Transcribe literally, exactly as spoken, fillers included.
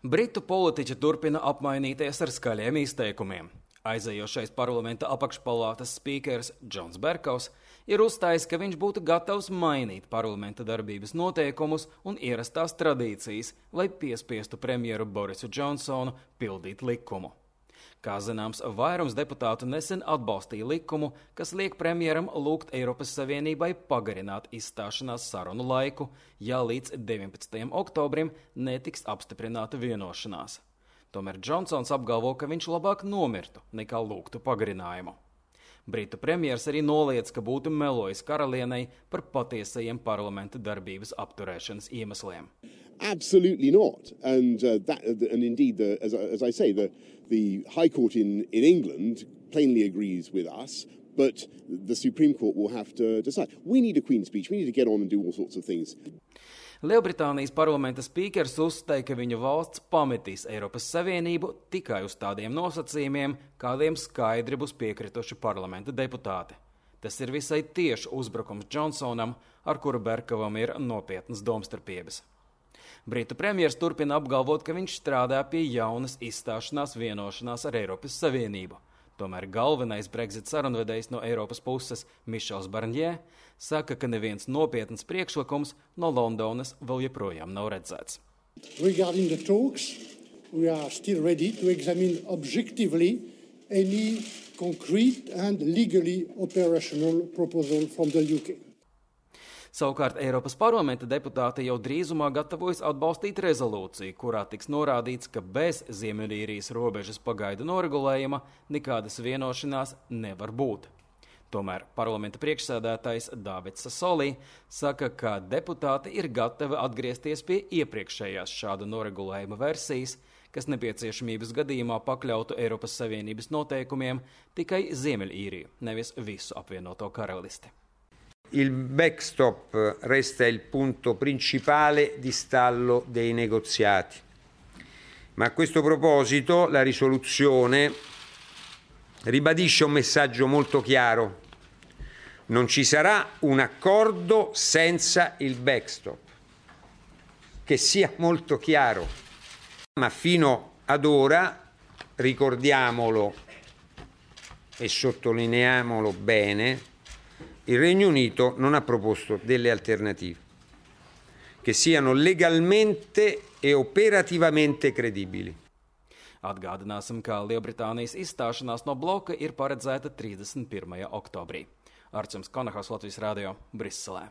Britu politiķi turpina apmainīties ar skaļiem izteikumiem. Aizejošais parlamenta apakšpalātas spīkers Džons Berkovs ir uzstājis, ka viņš būtu gatavs mainīt parlamenta darbības noteikumus un ierastās tradīcijas, lai piespiestu premjeru Borisu Džonsonu pildīt likumu. Kā zināms, vairums deputātu nesen atbalstīja likumu, kas liek premjeram lūgt Eiropas Savienībai pagarināt izstāšanās sarunu laiku, ja līdz deviņpadsmitajam oktobrim netiks apstiprināta vienošanās. Tomēr Džonsons apgalvo, ka viņš labāk nomirtu, nekā lūgtu pagarinājumu. Britu premjers arī noliedz, ka būtu melojis karalienei par patiesajiem parlamenta darbības apturēšanas iemesliem. Absolutely not. And uh, that, and indeed, the, as, as I say, the, the High Court in, in England plainly agrees with us, but the Supreme Court will have to decide. We need a Queen's speech. We need to get on and do all sorts of things. Lielbritānijas parlamenta spīkers uzstāja, ka viņa valsts pametīs Eiropas Savienību tikai uz tādiem nosacījumiem, kādiem skaidri būs piekrituši parlamenta deputāti. Tas ir visai tieši uzbrukums Džonsonam, ar kuru Berkovam ir nopietnas domstarpības. Britu premjers turpina apgalvot, ka viņš strādā pie jaunas izstāšanās vienošanās ar Eiropas Savienību. Tomēr galvenais Brexit sarunvedējs no Eiropas puses, Mišels Barņē, saka, ka neviens nopietns priekšlikums no Londonas vēl joprojām nav redzēts. Regarding the talks, we are still ready to examine objectively any concrete and legally operational proposal from the U K. Savukārt Eiropas parlamenta deputāti jau drīzumā gatavojas atbalstīt rezolūciju, kurā tiks norādīts, ka bez Ziemeļīrijas robežas pagaidu noregulējuma nekādas vienošanās nevar būt. Tomēr parlamenta priekšsēdētājs Davids Sasolī saka, ka deputāti ir gatavi atgriezties pie iepriekšējās šāda noregulējuma versijas, kas nepieciešamības gadījumā pakļautu Eiropas Savienības noteikumiem tikai Ziemeļīriju, nevis visu apvienoto karalisti. Il backstop resta il punto principale di stallo dei negoziati. Ma a questo proposito la risoluzione ribadisce un messaggio molto chiaro. Non ci sarà un accordo senza il backstop. Che sia molto chiaro. Ma fino ad ora, ricordiamolo e sottolineiamolo bene, il Regno Unito non ha proposto delle alternative che siano legalmente e operativamente credibili. Atgādināsim, ka Lielbritānijas izstāšanās no bloka ir paredzēta trīsdesmit pirmajā oktobrī. Arčuns Konahas, Latvijas radio, Briselē.